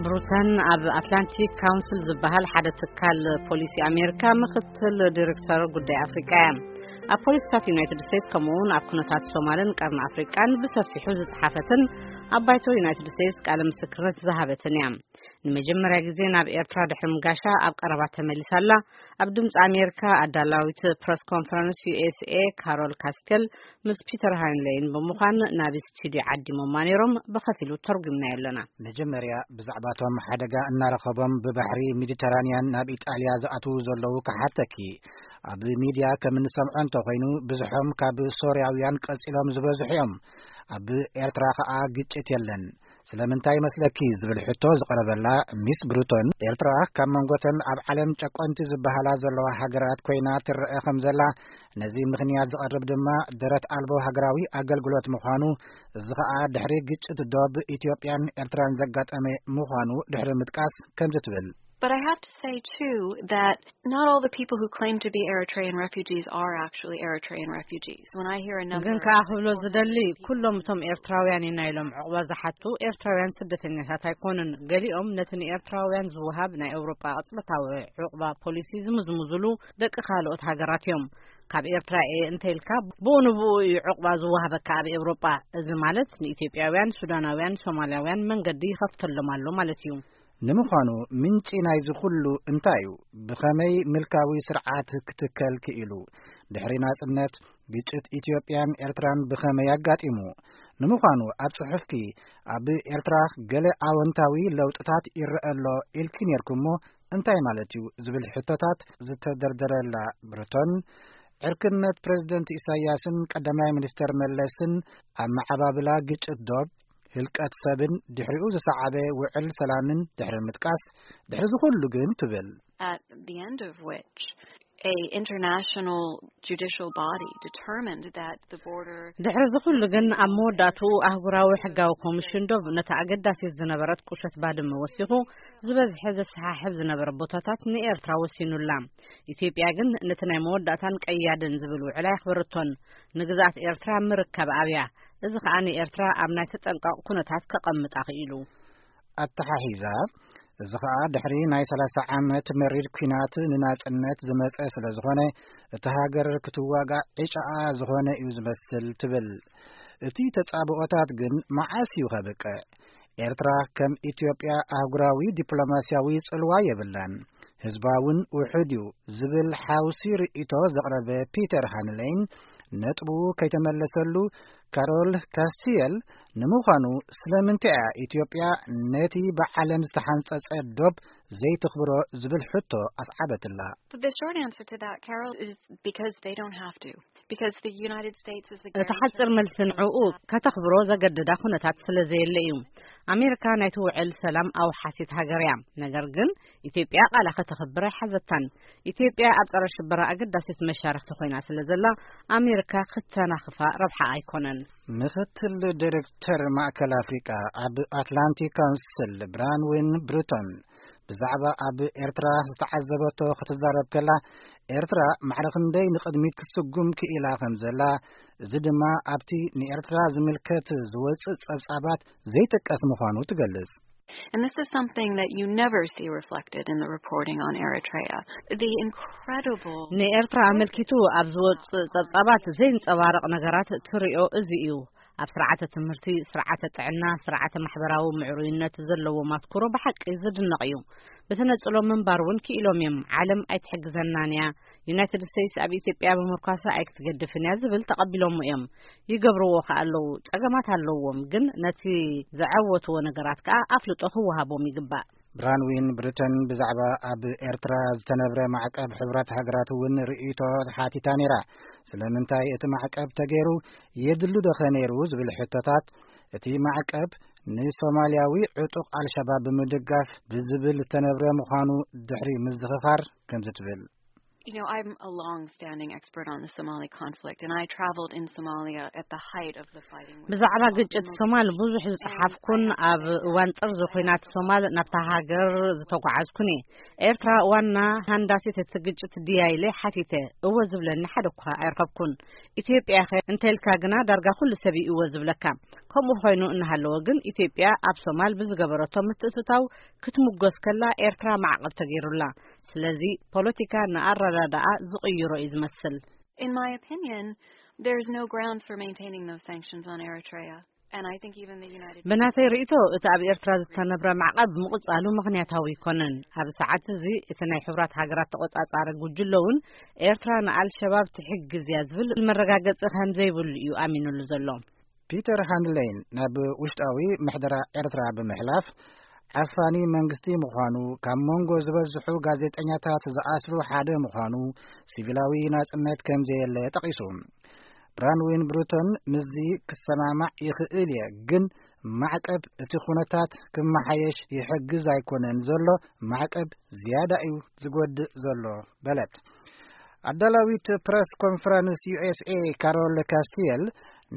ብሩተን ኣብ ኣትላንቲክ ካውንስል ዝበሃል ሓደ ትካል ፖሊሲ ኣሜሪካ ምኽትል ዲሬክተር ጉዳይ ኣፍሪቃ እያ። ኣብ ፖሊሲታት ዩናይትድ ስቴትስ ከምኡውን ኣብ ኩነታት ሶማልን ቀርኒ ኣፍሪቃን ብሰፊሑ ዝጸሓፈትን ኣብ ባይቶ ዩናይትድ ስቴትስ ቃለ ምስክርነት ዝሃበትን እያ። ንመጀመርያ ግዜ ናብ ኤርትራ ድሕሪ ምጋሻ ኣብ ቀረባ ተመሊሳ ኣላ። ኣብ ድምፂ ኣሜሪካ ኣዳላዊት ፕረስ ኮንፈረንስ ዩ ኤስ ኤ ካሮል ካስቴል ምስ ፒተር ሃይንሌይን ብምዃን ናብ ስቱዲዮ ዓዲሞማ ነይሮም። ብኸፊሉ ተርጉምናዮ ኣለና። መጀመርያ ብዛዕባቶም ሓደጋ እናረኸቦም ብባሕሪ ሜዲተራንያን ናብ ኢጣልያ ዝኣትዉ ዘለዉ ክሓተኪ። ኣብ ሚድያ ከም እንሰምዖ እንተኾይኑ፣ ብዙሖም ካብ ሶርያውያን ቀጺሎም ዝበዝሑ እዮም። ኣብ ኤርትራ ኸኣ ግጭት የለን። ስለምንታይ ይመስለኪ ዝብል ሕቶ ዝቐረበላ ሚስ ብሩቶን፣ ኤርትራ ካብ መንጎተን ኣብ ዓለም ጨቆንቲ ዝበሃላ ዘለዋ ሃገራት ኮይና ትረአ ከም ዘላ፣ ነዚ ምኽንያት ዝቐርብ ድማ ደረት ኣልቦ ሃገራዊ ኣገልግሎት ምዃኑ፣ እዚ ኸኣ ድሕሪ ግጭት ዶብ ኢትዮጵያን ኤርትራን ዘጋጠመ ምዃኑ ድሕሪ ምጥቃስ ከምዚ ትብል። But I have to say, too, that not all the people who claim to be Eritrean refugees are actually Eritrean refugees. When I hear a number ግን ከኣ ክብሎ ዝደሊ፣ ኩሎም እቶም ኤርትራውያን ኢና ኢሎም ዕቑባ ዝሓቱ ኤርትራውያን ስደተኛታት ኣይኮኑን። ገሊኦም ነቲ ንኤርትራውያን ዝወሃብ ናይ ኤውሮጳ ቅጽበታዊ ዕቑባ ፖሊሲ ዝምዝምዙሉ ደቂ ካልኦት ሃገራት እዮም። ካብ ኤርትራ እየ እንተ ኢልካ፣ ብኡ ንብኡ እዩ ዕቑባ ዝወሃበካ ኣብ ኤውሮጳ። እዚ ማለት ንኢትዮጵያውያን፣ ሱዳናውያን፣ ሶማልያውያን መንገዲ ይኸፍተሎም ኣሎ ማለት እዩ። ንምዃኑ ምንጪ ናይዚ ኩሉ እንታይ እዩ? ብኸመይ ምልካዊ ስርዓት ክትከል ክኢሉ? ድሕሪ ናጽነት ግጭት ኢትዮጵያን ኤርትራን ብኸመይ ኣጋጢሙ? ንምዃኑ ኣብ ጽሑፍኪ ኣብ ኤርትራ ገለ ኣወንታዊ ለውጥታት ይረአ ኣሎ ኢልኪ ኔርኩሞ እንታይ ማለት እዩ? ዝብል ሕቶታት ዝተደርደረላ ብርቶን፣ ዕርክነት ፕሬዝደንት ኢሳያስን ቀዳማይ ሚኒስተር መለስን ኣብ መዓባብላ ግጭት ዶብ፣ ህልቀት ሰብን ድሕሪኡ ዝሰዓበ ውዕል ሰላምን ድሕሪ ምጥቃስ፣ ድሕሪ ዝኹሉ ግን ትብል። At the end of which a international judicial body determined that the border ድሕሪ ዝኹሉ ግን ኣብ መወዳእትኡ ኣህጉራዊ ሕጋዊ ኮሚሽን ዶብ ነታ ኣገዳሲት ዝነበረት ቁሸት ባድመ ወሲኹ ዝበዝሐ ዘሰሓሕብ ዝነበረ ቦታታት ንኤርትራ ወሲኑላ። ኢትዮጵያ ግን ነቲ ናይ መወዳእታን ቀያድን ዝብል ውዕል ኣየኽበረቶን። ንግዝኣት ኤርትራ ምርካብ ኣብያ። እዚ ኸኣ ንኤርትራ ኣብ ናይ ተጠንቀቕ ኩነታት ከቐምጣ ክኢሉ። ኣተሓሒዛ፣ እዚ ኸኣ ድሕሪ ናይ ሰላሳ ዓመት መሪር ኲናት ንናጽነት ዝመጸ ስለ ዝኾነ፣ እቲ ሃገር ክትዋጋእ ዕጫኣ ዝኾነ እዩ ዝመስል ትብል። እቲ ተጻብኦታት ግን መዓስ እዩ ከብቅዕ? ኤርትራ ከም ኢትዮጵያ ኣህጉራዊ ዲፕሎማስያዊ ጽልዋ የብላን። ህዝባ እውን ውሑድ እዩ ዝብል ሓውሲ ርእይቶ ዘቕረበ ፒተር ሃንሌይን ነጥቡ ከይተመለሰሉ፣ ካሮል ካስቲየል፣ ንምዃኑ ስለምንታይ እያ ኢትዮጵያ ነቲ ብዓለም ዝተሓንጸጸ ዶብ ዘይትኽብሮ ዝብል ሕቶ ኣስዓበትላ። The short answer to that, Carol, is because they don't have to. Because the United States is the እቲ guarantor. ሓጺር መልሲ ንዕኡ ከተኽብሮ ዘገድዳ ኩነታት ስለ ዘየለ እዩ። ኣሜሪካ ናይቲ ውዕል ሰላም ኣውሓሲት ሃገር እያ። ነገር ግን ኢትዮጵያ ቃላ ከተኽብር ኣይሓዘታን። ኢትዮጵያ ኣብ ጸረ ሽበራ ኣገዳሲት መሻርክቲ ኮይና ስለ ዘላ፣ ኣሜሪካ ክተናኽፋ ረብሓ ኣይኮነን። ምኽትል ዲሬክተር ማእከል ኣፍሪቃ ኣብ ኣትላንቲክ ካውንስል ብራንዊን ብሩቶን ብዛዕባ ኣብ ኤርትራ ዝተዓዘበቶ ክትዛረብ ከላ፣ ኤርትራ ማዕረ ክንደይ ንቕድሚት ክትስጉም ክኢላ ከም ዘላ፣ እዚ ድማ ኣብቲ ንኤርትራ ዝምልከት ዝወጽእ ጸብጻባት ዘይጥቀስ ምዃኑ ትገልጽ። And this is something that you never see reflected in the reporting on Eritrea. The incredible ንኤርትራ ኣመልኪቱ ኣብ ዝወጽእ ጸብጻባት ዘይንጸባረቕ ነገራት ትሪኦ እዚ እዩ። ኣብ ስርዓተ ትምህርቲ፣ ስርዓተ ጥዕና፣ ስርዓተ ማሕበራዊ ምዕሩይነት ዘለዎም ኣትኩሮ ብሓቂ ዝድነቕ እዩ። ብተነጽሎ ምንባር እውን ክኢሎም እዮም። ዓለም ኣይትሕግዘናን እያ። ዩናይትድ ስቴትስ ኣብ ኢትዮጵያ ብምርኳሳ ኣይክትገድፍን እያ ዝብል ተቐቢሎሞ እዮም። ይገብርዎ ከኣ ኣለዉ። ጸገማት ኣለዎም፣ ግን ነቲ ዘዐወትዎ ነገራት ከኣ ኣፍልጦ ክወሃቦም ይግባእ። ብራንዊን ብሪተን ብዛዕባ ኣብ ኤርትራ ዝተነብረ ማዕቀብ ሕብረት ሃገራት እውን ርእይቶ ሓቲታ ነይራ። ስለምንታይ እቲ ማዕቀብ ተገይሩ? የድሉ ዶ ኸ ነይሩ? ዝብል ሕቶታት፣ እቲ ማዕቀብ ንሶማልያዊ ዕጡቕ ኣልሸባብ ብምድጋፍ ብዝብል ዝተነብረ ምዃኑ ድሕሪ ምዝኽኻር ከምዚ ትብል። You know, I'm a long-standing expert on the Somali conflict, and I traveled in Somalia at the height of the fighting. ብዛዕባ ግጭት ሶማል ብዙሕ ዝጸሓፍኩን ኣብ እዋን ጥርዚ ኹናት ሶማል ናብታ ሃገር ዝተጓዓዝኩን እየ። ኤርትራ ዋና ሃንዳሲት እቲ ግጭት ድያ ኢለ ሓቲተ። እወ ዝብለኒ ሓደ እኳ ኣይረኸብኩን። ኢትዮጵያ ኸ እንተ ኢልካ ግና ዳርጋ ኩሉ ሰብ እዩ እወ ዝብለካ። ከምኡ ኮይኑ እናሃለወ ግን ኢትዮጵያ ኣብ ሶማል ብዝገበረቶ ምትእትታው ክትምጎስ ከላ ኤርትራ ማዕቐብ ተገይሩላ። ስለዚ ፖለቲካ ንኣረዳድኣ ዝቕይሮ እዩ ዝመስል። In my opinion, there's no grounds for maintaining those sanctions on Eritrea. And I think even the United ብናተይ ርእይቶ እቲ ኣብ ኤርትራ ዝተነብረ ማዕቐብ ምቕጻሉ ምኽንያታዊ ኣይኮነን። ኣብ ሰዓት እዚ እቲ ናይ ሕቡራት ሃገራት ተቖጻጻሪ ጉጅለ እውን ኤርትራ ንኣልሸባብ ትሕግዝ እያ ዝብል መረጋገጺ ከም ዘይብሉ እዩ ኣሚኑሉ ዘሎ። ፒተር ሃንድሌን ናብ ውሽጣዊ ምሕደራ ኤርትራ ብምሕላፍ ዓፋኒ መንግስቲ ምዃኑ፣ ካብ መንጎ ዝበዝሑ ጋዜጠኛታት ዝኣስሩ ሓደ ምዃኑ፣ ሲቪላዊ ናጽነት ከም ዘየለ ጠቒሱ። ብራንዊን ብሩቶን ምስዚ ክሰማማዕ ይኽእል እየ፣ ግን ማዕቀብ እቲ ኩነታት ክመሓየሽ ይሕግዝ ኣይኮነን ዘሎ፣ ማዕቀብ ዝያዳ እዩ ዝጎድእ ዘሎ በለት። ኣዳላዊት ፕረስ ኮንፈረንስ ዩ ኤስ ኤ ካሮል ካስቲየል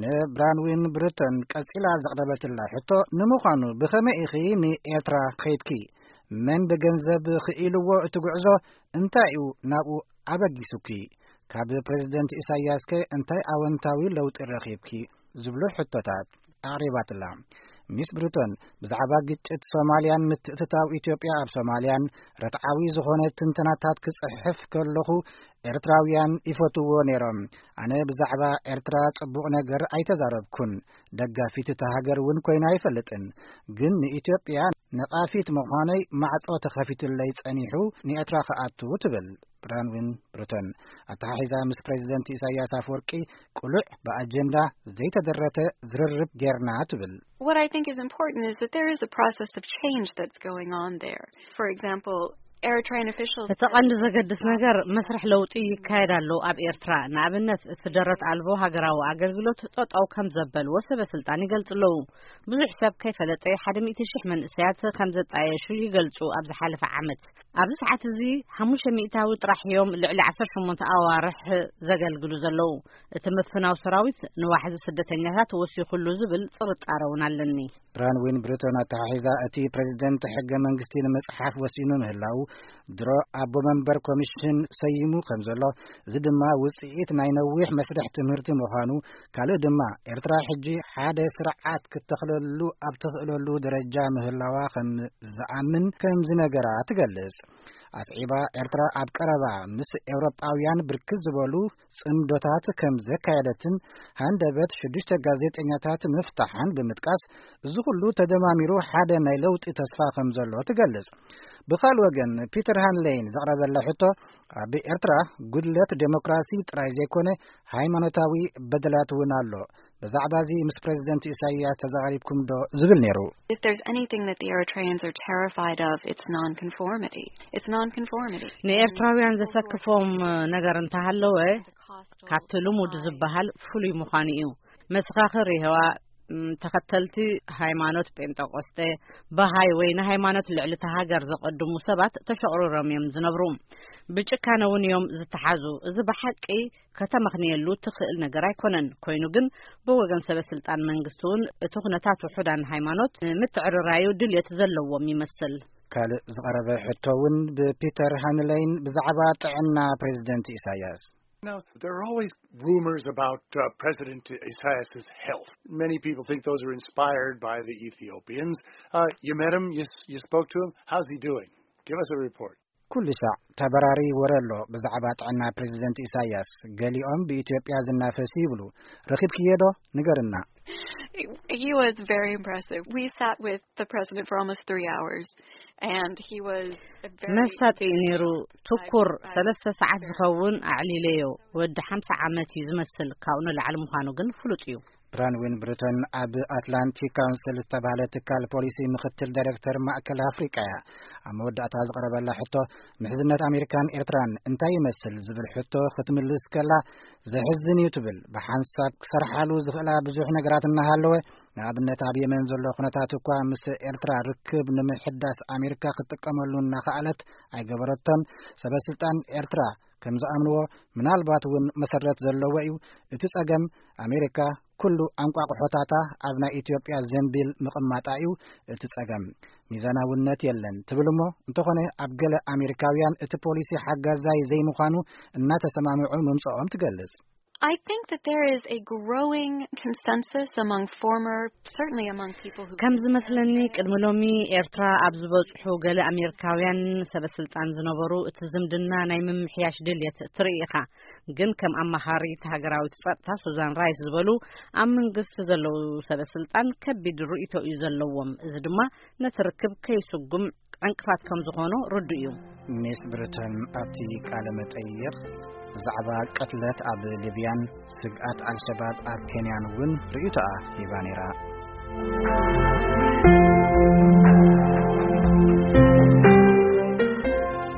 ንብራንዊን ብሩቶን ቀጺላ ዘቕረበትላ ሕቶ፣ ንምዃኑ ብኸመይ ኢኺ ንኤርትራ ኸይድኪ? መን ብገንዘብ ክኢልዎ እቲ ጉዕዞ? እንታይ እዩ ናብኡ ኣበጊሱኪ? ካብ ፕሬዝደንት ኢሳያስከ እንታይ ኣወንታዊ ለውጢ ረኺብኪ? ዝብሉ ሕቶታት ኣቕሪባትላ። ሚስ ብሩቶን ብዛዕባ ግጭት ሶማልያን ምትእትታው ኢትዮጵያ ኣብ ሶማልያን ርትዓዊ ዝኾነ ትንተናታት ክጽሕፍ ከለኹ ኤርትራውያን ይፈትዎ ነይሮም። ኣነ ብዛዕባ ኤርትራ ጽቡቕ ነገር ኣይተዛረብኩን። ደጋፊት እታ ሃገር እውን ኮይና ኣይፈልጥን። ግን ንኢትዮጵያ ነቓፊት ምዃነይ ማዕጾ ተኸፊቱለይ ጸኒሑ ንኤርትራ ክኣቱ ትብል ብራንዊን ብሩቶን። ኣተሓሒዛ ምስ ፕሬዝደንት ኢሳያስ ኣፈወርቂ ቅሉዕ ብኣጀንዳ ዘይተደረተ ዝርርብ ጌርና ትብል። What I think is important is that there is a process of change that's going on there. For example, Eritrean officials እቲ ቀንዲ ዘገድስ ነገር መስርሕ ለውጢ ይካየድ ኣሎ ኣብ ኤርትራ። ንኣብነት እቲ ደረት ኣልቦ ሃገራዊ ኣገልግሎት ጠጠው ከም ዘበልዎ ሰበ ስልጣን ይገልጹ ኣለዉ። ብዙሕ ሰብ ከይፈለጠ ሓደ ሚእቲ ሽሕ መንእሰያት ከም ዘጣየሹ ይገልጹ ኣብ ዝሓለፈ ዓመት። ኣብዚ ሰዓት እዚ ሓሙሽተ ሚእታዊ ጥራሕ እዮም ልዕሊ ዓሰርተ ሸሞንተ ኣዋርሕ ዘገልግሉ ዘለዉ። እቲ ምፍናው ሰራዊት ንዋሕዚ ስደተኛታት ወሲኹሉ ዝብል ጥርጣረ እውን ኣለኒ። ብራንዊን ብሩቶን ኣተሓሒዛ እቲ ፕሬዝደንት ሕገ መንግስቲ ንምጽሓፍ ወሲኑ ምህላው ድሮ ኣቦ መንበር ኮሚሽን ሰይሙ ከም ዘሎ፣ እዚ ድማ ውጽኢት ናይ ነዊሕ መስርሕ ትምህርቲ ምዃኑ፣ ካልእ ድማ ኤርትራ ሕጂ ሓደ ስርዓት ክትተኽለሉ ኣብ ትኽእለሉ ደረጃ ምህላዋ ከም ዝኣምን ከም ዝነገራ ትገልጽ። ኣስዒባ ኤርትራ ኣብ ቀረባ ምስ ኤውሮጳውያን ብርክት ዝበሉ ጽምዶታት ከም ዘካየደትን ሃንደበት ሽዱሽተ ጋዜጠኛታት ምፍታሓን ብምጥቃስ፣ እዚ ኩሉ ተደማሚሩ ሓደ ናይ ለውጢ ተስፋ ከም ዘሎ ትገልጽ። ብኻልእ ወገን ፒተር ሃንሌን ዘቕረበላ ሕቶ፣ ኣብ ኤርትራ ጉድለት ዴሞክራሲ ጥራይ ዘይኮነ ሃይማኖታዊ በደላት እውን ኣሎ። ብዛዕባ እዚ ምስ ፕሬዝደንት ኢሳይያስ ተዘራሪብኩም ዶ ዝብል ነይሩ። If there's anything that the Eritreans are terrified of, it's nonconformity. It's nonconformity. ንኤርትራውያን ዘሰክፎም ነገር እንተሃለወ ካብቲ ልሙድ ዝበሃል ፍሉይ ምዃኑ እዩ። መሰኻኽር የሆዋ፣ ም፣ ተኸተልቲ ሃይማኖት ጴንጠቆስጤ፣ ባሃይ ወይ ንሃይማኖት ልዕሊ እታ ሃገር ዘቐድሙ ሰባት ተሸቑሪሮም እዮም ዝነብሩ። ብጭካነ እውን እዮም ዝተሓዙ። እዚ ብሓቂ ከተመኽንየሉ ትኽእል ነገር ኣይኮነን። ኮይኑ ግን ብወገን ሰበ ስልጣን መንግስቲ እውን እቲ ኩነታት ውሑዳን ሃይማኖት ንምትዕርራዩ ድልየት ዘለዎም ይመስል። ካልእ ዝቐረበ ሕቶ እውን ብፒተር ሃንለይን ብዛዕባ ጥዕና ፕሬዝደንት ኢሳያስ። Now, there are always rumors about uh, President Isaias's health. Many people think those are inspired by the Ethiopians. Uh, you met him, you, s- you spoke to him. How's he doing? Give us a report. ኩሉ ሻዕ ተበራሪ ወረ ኣሎ ብዛዕባ ጥዕና ፕሬዝደንት ኢሳያስ። ገሊኦም ብኢትዮጵያ ዝናፈሱ ይብሉ። ረኺብክዮ ዶ? ንገርና። He, he was very impressive. We sat with the president for almost three hours, and he was a very መሳጢ እዩ ነይሩ። ትኩር ሰለስተ ሰዓት ዝኸውን ኣዕሊለዮ። ወዲ ሓምሳ ዓመት እዩ ዝመስል። ካብኡ ንላዕሊ ምዃኑ ግን ፍሉጥ እዩ። ብራንዊን ብሪቶን ኣብ ኣትላንቲክ ካውንስል ዝተባህለ ትካል ፖሊሲ ምክትል ዳይሬክተር ማእከል ኣፍሪቃ እያ። ኣብ መወዳእታ ዝቐረበላ ሕቶ፣ ምሕዝነት ኣሜሪካን ኤርትራን እንታይ ይመስል ዝብል ሕቶ ክትምልስ ከላ፣ ዘሕዝን እዩ ትብል። ብሓንሳብ ክሰርሓሉ ዝኽእላ ብዙሕ ነገራት እናሃለወ፣ ንኣብነት ኣብ የመን ዘሎ ኩነታት እኳ ምስ ኤርትራ ርክብ ንምሕዳስ ኣሜሪካ ክትጥቀመሉ እናኸኣለት ኣይገበረቶን። ሰበ ስልጣን ኤርትራ ከም ዝኣምንዎ፣ ምናልባት እውን መሰረት ዘለዎ እዩ። እቲ ጸገም፣ ኣሜሪካ ኩሉ ኣንቋቑሖታታ ኣብ ናይ ኢትዮጵያ ዘንቢል ምቕማጣ እዩ እቲ ጸገም። ሚዛናውነት የለን ትብል እሞ፣ እንተኾነ ኣብ ገለ ኣሜሪካውያን እቲ ፖሊሲ ሓጋዛይ ዘይምዃኑ እናተሰማምዑ ምምጽኦም ትገልጽ። I think that there is a growing consensus among former, certainly among people who ከም ዝመስለኒ፣ ቅድሚ ሎሚ ኤርትራ ኣብ ዝበጽሑ ገለ ኣሜሪካውያን ሰበ ስልጣን ዝነበሩ፣ እቲ ዝምድና ናይ ምምሕያሽ ድልየት ትርኢ ኢኻ። ግን ከም ኣማኻሪት ሃገራዊት ጸጥታ ሱዛን ራይስ ዝበሉ ኣብ መንግስቲ ዘለዉ ሰበ ስልጣን ከቢድ ርእይቶ እዩ ዘለዎም። እዚ ድማ ነቲ ርክብ ከይስጉም ዕንቅፋት ከም ዝኾኖ ርዱእ እዩ። ሚስ ብሪተን ኣብቲ ቃለ መጠይቕ ብዛዕባ ቅትለት ኣብ ሊብያን ስግኣት ኣልሸባብ ኣብ ኬንያን እውን ርእይቶኣ ሂባ ነይራ።